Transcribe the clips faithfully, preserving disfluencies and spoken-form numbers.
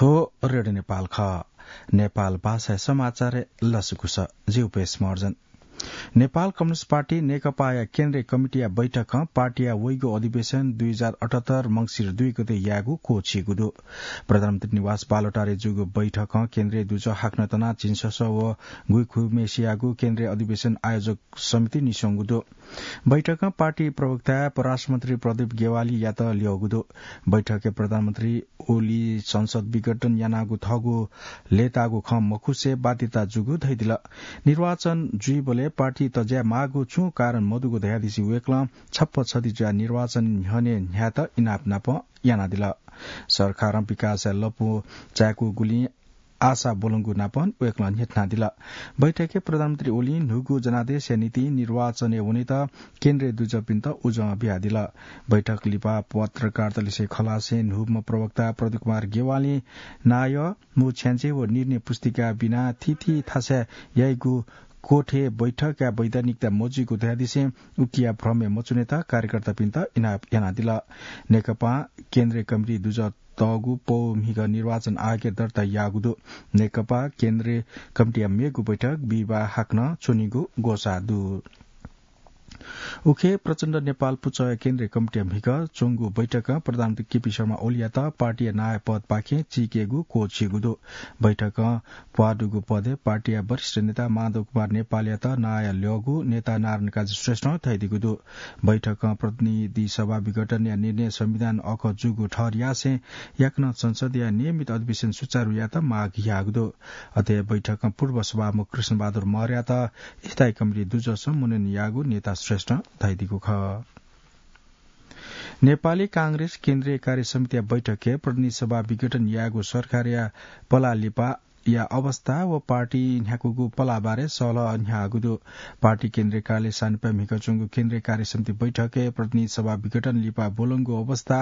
थ्व रेडियो नेपाल खः। नेपाल भाषाया समाचारय् लसकुस। जि उपेश महर्जन। नेपाल कम्युनिस्ट पार्टी नेकपाया केन्द्रीय कमिटीया बैठकं पार्टीया वइगु अधिवेशन दुई हजार अठहत्तर मंसिर दुई गते यायेगु क्वःछिइगु दु। प्रधानमन्त्री निवास बालुवाटारय् जूगु बैठकं केन्द्रीय दुजः हाकनं तना झिंछसः व गुइखुइम्हेसियागु केन्द्रीय अधिवेशन आयोजक समिति निस्वंगु दु। बैठकं पार्टी प्रवक्ता परराष्ट्र मन्त्री प्रदीप गेवालीयात ल्यःगु दु। बैठकय् प्रधानमन्त्री ओली संसद विघटन यानागु थःगु लय्ताःगु खँ मखुसे बाध्यता जूगु धयादिल। निर्वाचन जुइबलय् पार्टी तज्याये माःगु छुं कारण मदुगु धयादिसें वय्कलं छप्पा छधी जुयाः निर्वाचन न्ह्यःने न्ह्यायेत इनाप नाप यानादिल। सरकारं विकासया लँपु चाय्कूगुलिं आशा ब्वलंगु नाप वय्कलं न्ह्यथनादिल। बैठकय् प्रधानमन्त्री ओलीं न्हूगु जनादेशया निंतिं निर्वाचनय् वनेत केन्द्रीय दुजःपिन्त उजं बियादिल। बैठक लिपा पत्रकारतलिसे खलासे न्हूम्ह प्रवक्ता प्रदीप कुमार गेवालीं नायः, मू छ्याञ्जे व निर्णय पुस्तिका बिना थीथी थासय् याइगु कोठय् बैठकया वैधानिकता मजुइगु धयादिसें उकिया भ्रमय् मच्वनेत कार्यकर्तापिन्त इनाप यानादिल। नेकपां केन्द्रीय कमिटी दुजः तःगु पौ म्हिगः निर्वाचन आयोगय् दर्ता याःगु दु। नेकपा केन्द्रीय कमिटीया मेगु बैठक बिहिबाः हाकनं च्वनीगु ग्वसाः दु। उखे प्रचण्ड नेपाल पुचःया केन्द्रीय कमिटीया म्हिगः च्वंगु बैठकं प्रधानमन्त्री केपी शर्मा ओलीयात पार्टीया नायः पदपाखें चीकेगु क्वःछिइगु दु। बैठकं प्वाः दुगु पदय् पार्टीया वरिष्ठ नेता माधव कुमार नेपालयात नायः ल्यःगु नेता नारायण काजी श्रेष्ठं धयादीगु दु। बैठकं प्रतिनिधि सभा विघटनया निर्णय संविधान अखः जूगु ठहर यासें याकनं संसदया नियमित अधिवेशन सुचारु यायेत माग याःगु दु। अथे बैठकं पूर्व सभामुख कृष्णबहादुर मौर्यात स्थायी कमिटी दुजःसं मनोनयन याःगु नेता श्रेष्ठं धयादीगु खः। नेपाली कांग्रेस केन्द्रीय कार्य समितिया बैठकय् प्रतिनिधि सभा विघटन यायेगु सरकारया पलाः लिपाया अवस्था व पार्टी न्ह्याकूगु पलाः बारे सहलह न्ह्याःगु दु। पार्टी केन्द्रीय कार्यालय सानिपाय् म्हिगः च्वंगु केन्द्रीय कार्य समिति बैठकय् प्रतिनिधि सभा विघटन लिपा ब्वलंगु अवस्था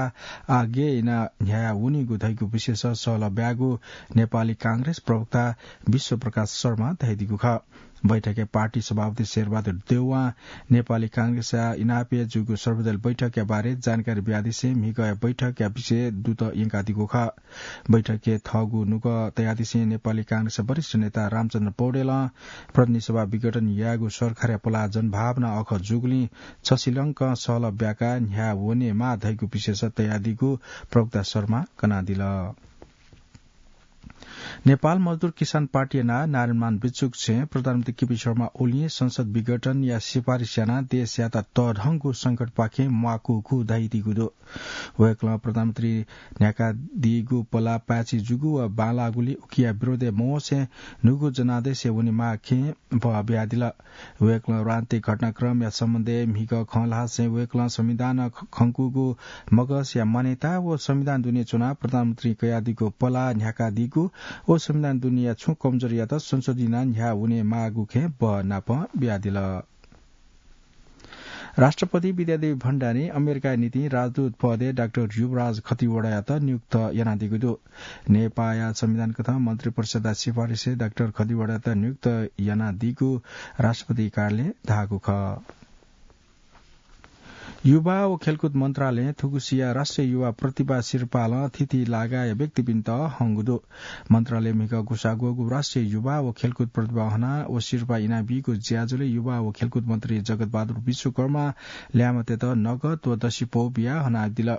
आः गय् यानाः न्ह्याये वनीगु धइगु विषयस सहलह ब्याःगु नेपाली कांग्रेस प्रवक्ता विश्वप्रकाश शर्मां धयादीगु खः। बैठकय् पार्टी सभापति शेरबहादुर देउवां नेपाली कांग्रेसया इनापय् जूगु सर्वदलीय बैठकया बारे जानकारी बियादिसें म्हिगःया बैठकया विषय दुत यंकादीगु खः। बैठकय् थःगु नुगः तयादिसें नेपाली कांग्रेसया वरिष्ठ नेता रामचन्द्र पौडेलं प्रतिनिधि सभा विघटन यायेगु सरकारया पलाः जनभावना अखः जूगुलिं छसिलंकं सहलह ब्याकाः न्ह्याये वनेमाः धइगु विषयस तयादीगु प्रवक्ता शर्मां कनादिल। नेपाल मजदुर किसान पार्टीया नायः नारायणमान भिक्षुक छेँय् प्रधानमन्त्री केपी शर्मा ओलीं संसद विघटनया सिफारिस यानाः देशयात तःधंगु संकटपाखें म्वाकूगु धयादीगु दु। वय्कलं प्रधानमन्त्री न्ह्याकादीगु पलाः पाय्छि जूगु व बांलाःगुलिं उकिया विरोधय् मवंसे न्हूगु जनादेशय् वनेमाःखें बहः बियादिल। वय्कलं राजनीतिक घटनाक्रमया सम्बन्धय् म्हिगः खँ ल्हासें वय्कलं संविधान ख-, खंकूगु मगसया मान्यता व संविधान दुने च्वनाः प्रधानमन्त्रीं कयादीगु पलाः न्ह्याकादीगु व संविधान दुनेया छुं कमजोरीयात संशोधन यानाः न्ह्याः वनेमाःगु खें बहः नाप बियादिल। राष्ट्रपति विद्यादेवी भण्डारीं अमेरिकाया निंतिं राजदूत पदय् डाक्टर युवराज खतिवडायात नियुक्त यानादीगु दु। नेपाःया संविधान कथं मन्त्रिपरिषदया सिफारिसय् डाक्टर खतिवडायात नियुक्त यानादीगु राष्ट्रपति कार्यालयं धाःगु खः। युवा व खेलकुद मन्त्रालयं थुगुसिया राष्ट्रिय युवा प्रतिभा सिरपालं थीथी लागाया व्यक्तिपिन्त हंगु दु। मन्त्रालयं म्हिगः ग्वसाः ग्वःगु राष्ट्रिय युवा व खेलकुद प्रतिभा हना व सिरपाः इनाबीगु ज्याझ्वलय् युवा व खेलकुद मन्त्री जगत बहादुर विश्वकर्मां ल्याय्म्हतय्त नगद व दसिपौ बियाः हनादिल।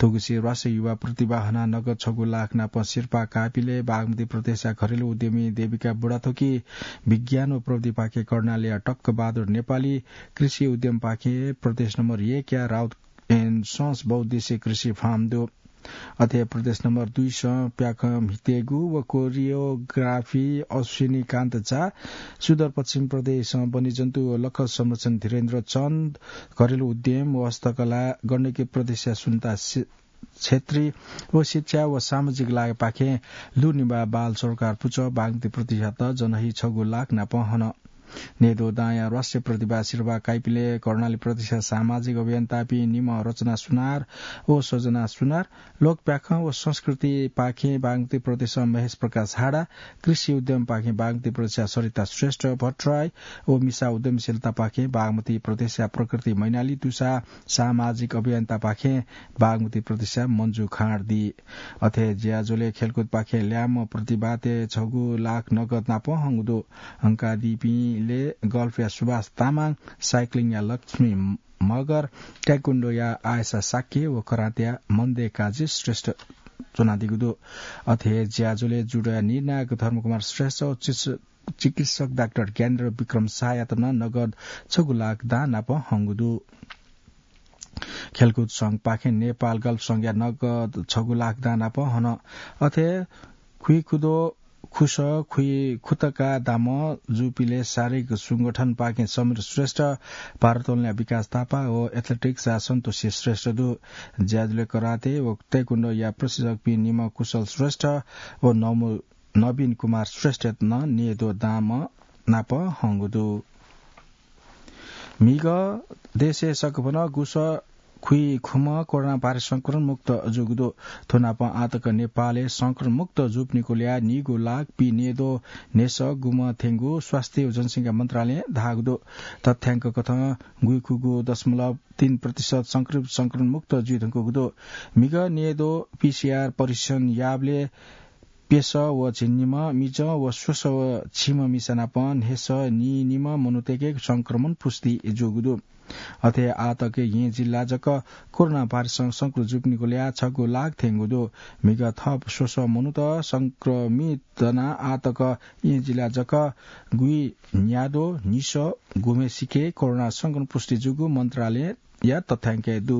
थुगुसी राष्ट्रिय युवा प्रतिभा हनाः नगद छगू लाख नाप सिरपाः काःपिले बागमती प्रदेशया घरेलु उद्यमी देविका बुढाथोकी, विज्ञान व प्रविधिपाखे कर्णालया टक्क बहादुर नेपाली, कृषि उद्यमपाखे प्रदेश नम्बर एकया राउत एन सस बहुद्देश्य कृषि फार्म दु। अथे प्रदेश नम्बर दुई सं प्याखं म्हितेगु व कोरियोग्राफी अश्विनी कान्त झा, सुदूरपश्चिम प्रदेशं वन्यजन्तु व लख संरक्षण धीरेन्द्र चन्द, घरेलु उद्यम व हस्तकला गण्डकी प्रदेशया सुन्ता से-, छेत्री व शिक्षा व सामाजिक लागपाखें लुनिबा बाल सरोकार पुचः बागमती प्रदेशयात जनही छगू लाख नाप हन। नेद्वः दांया राष्ट्रिय प्रतिभा सिरवाः काइपिले कर्णाली प्रदेशया सामाजिक अभियन्तापिं निम्ह रचना सुनार व सृजना सुनार, लोकप्याखं व संस्कृतिपाखें बागमती प्रदेशया महेश प्रकाश हाडा, कृषि उद्यमपाखें बागमती प्रदेशया सरिता श्रेष्ठ भट्टराई व मिसा उद्यमशीलतापाखें बागमती प्रदेशया प्रकृति मैनाली दुसा सामाजिक अभियन्तापाखें बागमती प्रदेशया मन्जु खाँड दी। अथे ज्याझ्वलय् खेलकुदपाखें ल्याय्म्ह प्रतिभातय् छगू लाख नगद नाप हंगु दु। हंकादीपिंले गल्फया सुभाष तामाङ, साइक्लिङया लक्ष्मी मगर, ताइक्वन्डोया आयशा शाक्य व करातेया मन्दे काजी श्रेष्ठ च्वनादीगु दु। अथे हे ज्याझ्वलय् जुडोया निर्णायक धर्मकुमार श्रेष्ठ व चिकित्स-, चिकित्सक डाक्टर ज्ञानेन्द्र विक्रम शाहयात नं नगद छगू लाख दां नाप हंगु दु। खेलकुद संघपाखें नेपाल गल्फ संघया नगद छगु लाख दां नाप हन। अथे खुइखुदो खुस, खुइ खुतका दाम जूपिले शारीरिक संगठनपाखें समीर श्रेष्ठ, भारोत्तोलनया विकास थापा व एथलेटिक्सया सन्तोषी श्रेष्ठ दु। ज्याझ्वलय् कराते व ताइक्वन्डोया प्रशिक्षकपिं निम्ह कुशल श्रेष्ठ व नमु-, नवीन कुमार श्रेष्ठयात नं नेद्वः दांम्ह नाप हंगु दु। म्हिगः देशय् सकभनं गुस खुइ खुम्ह कोरोना भाइरस संक्रमण मुक्त जूगु दु। थ्व नाप आःतक नेपालय् संक्रमण मुक्त जूपिनिगु ल्याः नीगू लाख पीनेद्वः न्हय्सः गुम्ह थेंगु स्वास्थ्य व जनसंख्या मन्त्रालयं धाःगु दु। तथ्याङ्क कथं गुइखुगू दशमलव तीन प्रतिशत संक्रमित संक्रमण मुक्त जुइधुंकूगु दु। म्हिगः न्हय्द्वः पीसीआर परीक्षण याःबलय् प्यसः व झिंनिम्ह, मिजं व स्वसः व झिम्ह मिसा नाप न्हय्सः नीनिम्ह मनूतय्के संक्रमण पुष्टि जूगु दु। अथे आःतक येँ जिल्ला जक कोरोना भाइरसं संक्रमित जूपिनिगु ल्याः छगू लाख थेंगु दु। म्हिगः थप स्वसः मनूत संक्रमित दनाः आःतक येँ जिल्ला जक गुइ न्याद्वः न्हिसः गुम्हेसिके कोरोना संक्रमण पुष्टि जूगु मन्त्रालय या तथ्याङ्कय् दु।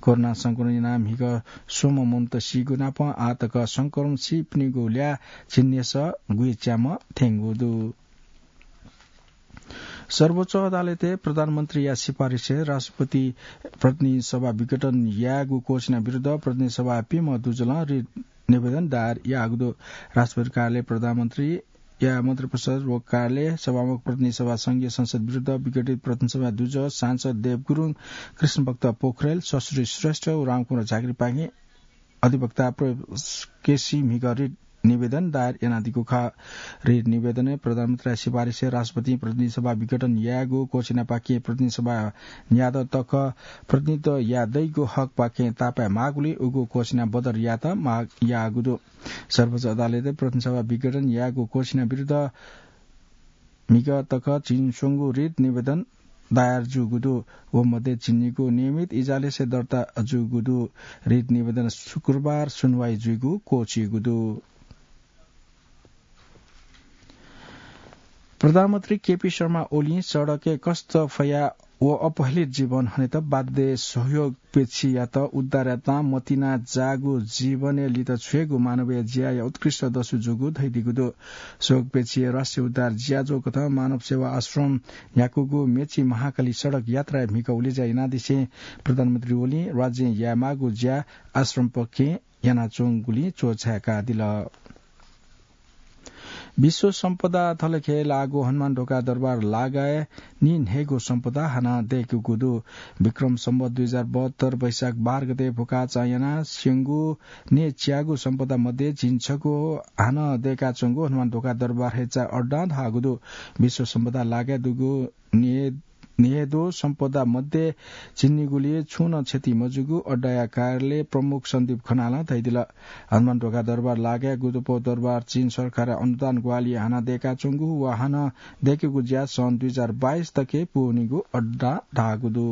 कोरोना संक्रमण यानाः म्हिगः स्वम्ह मनूत सीगु नाप आःतक संक्रमण सीपिनिगु ल्याः झिंन्हय्सः गुइच्याम्ह थेंगु दु। सर्वोच्च अदालतय् प्रधानमन्त्रीया सिफारिसय् राष्ट्रपति प्रतिनिधि सभा विघटन यायेगु घोषणा विरुद्ध प्रतिनिधि सभाया प्यम्ह दुजलं रिट निवेदन दायर याःगु दु। राष्ट्रपति कार्यालय प्रधानमन्त्री या मन्त्रिपरिषद व कार्यालय, सभामुख, प्रतिनिधि सभा, संघीय संसद विरुद्ध विघटित प्रतिनिधि सभा दुजः सांसद देव गुरुङ, कृष्णभक्त पोखरेल, ससुरी श्रेष्ठ व रामकुमार झाँक्रीपाखें अधिवक्ता प्रवेश केसी म्हिगः रिट निवेदन दायर यानादीगु खः। रिट निवेदनय् प्रधानमन्त्रीया सिफारिसय् राष्ट्रपतिं प्रतिनिधि सभा विघटन यायेगु घोषणापाखें प्रतिनिधि सभा न्यादँ तक प्रतिनिधित्व याये दइगु हकपाखें तापाय् माःगुलिं उगु घोषणा बदर यायेत माग याःगु दु। सर्वोच्च अदालतय् प्रतिनिधि सभा विघटन यायेगु घोषणा विरुद्ध म्हिगः तक झिंस्वंगू रिट निवेदन दायर जूगु दु। व मध्ये झिंनिगू नियमित इजलासय् दर्ता जूगु दु। रिट निवेदन शुक्रबार सुनवाई जुइगु क्वःछिइगु दु। प्रधानमन्त्री केपी शर्मा ओलीं सडकय् कष्ट फयाः व अपहेलित जीवन हनेत बाध्य सहयोगपेक्षीयात उद्धार यानाः मतिना जाःगु जीवनय् लित छ्वयेगु मानवीय ज्याया उत्कृष्ट दसु जूगु धयादीगु दु। सहयोगपेक्षीया राष्ट्रिय उद्धार ज्याझ्वः कथं मानव सेवा आश्रम न्ह्याकूगु मेची महाकाली सडक यात्राय् म्हिगः उलेज्या यानादिसें प्रधानमन्त्री ओलीं राज्यं यायेमाःगु ज्या आश्रमपाखें यानाच्वंगुलिं च्वछाय्कादिल। विश्व सम्पदा थलखे लाःगु हनुमान ढोका दरबार लागाय् निन्हय्गू सम्पदा हानं दय्कूगु दु। विक्रम सम्वत दुई हजार बहत्तर वैशाख बाह्र गते भुखाचां यानाः स्यंगू न्हय्च्यागू सम्पदा मध्ये झिंछगू हानं दय्काच्वंगु हनुमान ढोका दरबार हेजा अड्डां धाःगु दु। विश्व सम्पदा लागाय् दुगु न्हय् न्हय्द्वः सम्पदा मध्ये झिंनिगुलिइ छुं नं क्षति मजूगु अड्डाया कार्यालय प्रमुख सन्दीप खनालं धयादिल। हनुमान ढोका दरबार लागाय् गुदुपौ दरबार चीन सरकारया अनुदान ग्वाहालिं हानं दय्काच्वंगु व हानं दय्केगु ज्या सन् दुई हजार बाइस तके पूवनीगु अड्डां धाःगु दु।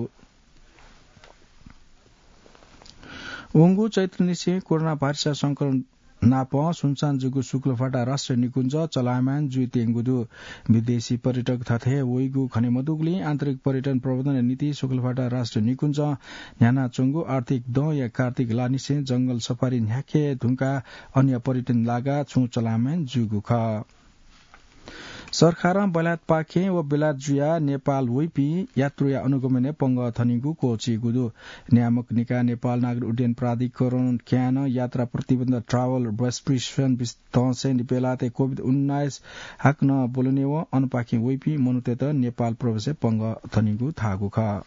वंगु चैत्रनिसें कोरोना भाइरसया संक्रमण नाप सुनसान जूगु शुक्लफाटा राष्ट्रिय निकुञ्ज चलायमान जुइत्यंगु दु। विदेशी पर्यटक थथे वइगु खने मदुगुलिं आन्तरिक पर्यटन प्रवर्धनया निंतिं शुक्लफाटा राष्ट्रिय निकुञ्जं न्ह्यानाच्वंगु आर्थिक दँया कार्तिक लानिसें जंगल सफारी न्ह्याके धुंकाः अन्य पर्यटन लागाः छुं चलायमान जूगु खः। सरकारं बेलायतपाखें व बेलायत जुयाः नेपाल वइपिं यात्रुया अनुगमनय् पंगः थनीगु क्वःछिइगु दु। नियामक निकाय नेपाल नागरिक उड्डयन प्राधिकरण क्यानं यात्रा प्रतिबन्ध, travel restriction, बिस-, तहसैं बेलायतय् कोभिड उन्नाइस हाकनं ब्वलनेवं अनपाखें वइपिं मनूतय्त नेपाल प्रवेशय् पंगः थनीगु धाःगु खः।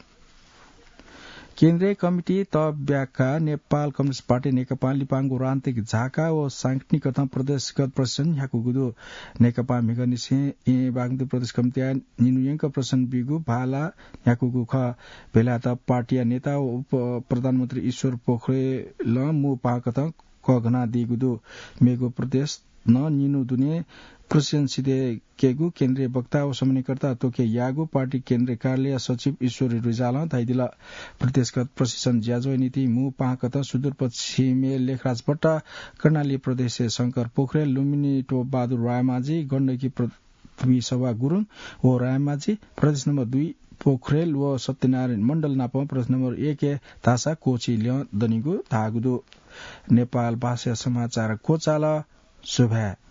केन्द्रीय कमिटी तःब्याकाः नेपाल कम्युनिस्ट पार्टी नेकपां लिपांगु राजनीतिक झाका व सांगठनिक कथं प्रदेशगत प्रशिक्षण न्ह्याकूगु दु। नेकपां म्हिगःनिसें येँ बागमती प्रदेश कमिटीया निन्हु यंक प्रशिक्षण बीगु भाला न्ह्याकूगु खः। बेलायत पार्टीया नेता व उपप्रधानमन्त्री ईश्वर पोखरेलं मू पाहां कथं कःघानादीगु दु। मेगु प्रदेश नं निन्हु दुने प्रशिक्षण सिधय्केगु केन्द्रीय वक्ता व समन्वयकर्ता त्वःके याःगु पार्टी केन्द्रीय कार्यालय सचिव ईश्वरी रिजालं धयादिल। प्रदेशगत प्रशिक्षण ज्याझ्वः निंतिं मू पाहां कथं सुदूरपश्चिमय् लेखराज भट्ट, कर्णाली प्रदेशय् शंकर पोखरेल, लुम्बिनी टोपबहादुर रायमाझी, गण्डकी प्र-, पृथ्वी सभा गुरुङ व रायमाझी, प्रदेश नम्बर दुई पोखरेल व सत्यनारायण मण्डल नाप प्रदेश नम्बर एकय् धाःसा क्वःछिइ ल्यं दनिगु धाःगु दु। नेपाल भाषाया समाचार क्वचाल। सुभाय्।